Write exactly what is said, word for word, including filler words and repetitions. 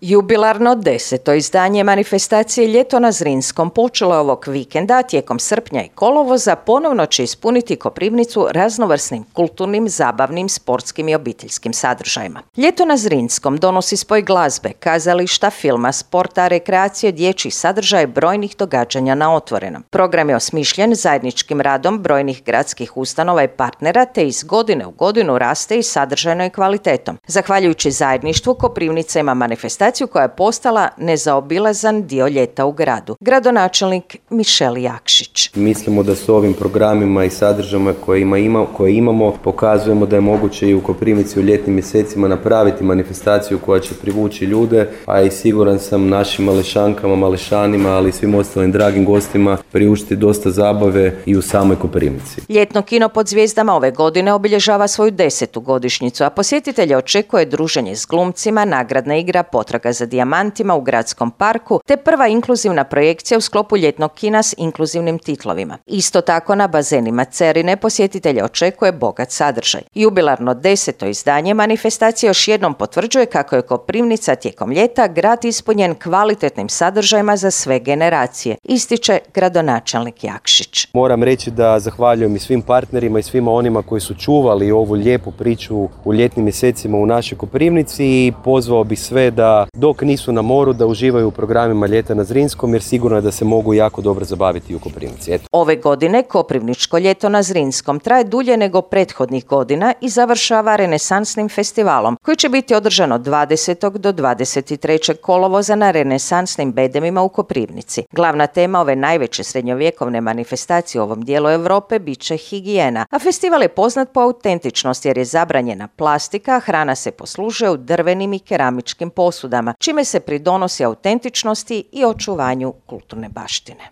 Jubilarno deseto izdanje manifestacije Ljeto na Zrinskom počelo je ovog vikenda, tijekom srpnja i kolovoza ponovno će ispuniti Koprivnicu raznovrsnim kulturnim, zabavnim, sportskim i obiteljskim sadržajima. Ljeto na Zrinskom donosi spoj glazbe, kazališta, filma, sporta, rekreacije, dječjih sadržaja i brojnih događanja na otvorenom. Program je osmišljen zajedničkim radom brojnih gradskih ustanova i partnera, te iz godine u godinu raste i sadržajno i kvalitetom. Zahvaljujući zajedništvu, Koprivnica ima manifestaciju koja je postala nezaobilazan dio ljeta u gradu. Gradonačelnik Mišel Jakšić. Mislimo da s ovim programima i sadržajima koje, ima, ima, koje imamo pokazujemo da je moguće i u Koprivnici u ljetnim mjesecima napraviti manifestaciju koja će privući ljude, a i siguran sam našim malešankama, malešanima, ali i svim ostalim dragim gostima priuštiti dosta zabave i u samoj Koprivnici. Ljetno kino pod zvijezdama ove godine obilježava svoju desetu godišnjicu, a posjetitelje očekuje druženje s glumcima, nagradna igra, potraga za dijamantima u gradskom parku, te prva inkluzivna projekcija u sklopu ljetnog kina s inkluzivnim titlovima. Isto tako na bazenima Cerine posjetitelje očekuje bogat sadržaj. Jubilarno deseto izdanje manifestacije još jednom potvrđuje kako je Koprivnica tijekom ljeta grad ispunjen kvalitetnim sadržajima za sve generacije, ističe gradonačelnik Jakšić. Moram reći da zahvaljujem i svim partnerima i svima onima koji su čuvali ovu lijepu priču u ljetnim mjesecima u našoj Koprivnici i pozvao bih sve da dok nisu na moru da uživaju u programima Ljeta na Zrinskom, jer sigurno je da se mogu jako dobro zabaviti u Koprivnici. Eto. Ove godine Koprivničko ljeto na Zrinskom traje dulje nego prethodnih godina i završava renesansnim festivalom koji će biti održan od dvadesetog do dvadeset trećeg kolovoza na renesansnim bedemima u Koprivnici. Glavna tema ove najveće srednjovjekovne manifestacije u ovom dijelu Europe bit će higijena, a festival je poznat po autentičnosti jer je zabranjena plastika, a hrana se poslužuje u drvenim i keramičkim posudama, čime se pridonosi autentičnosti i očuvanju kulturne baštine.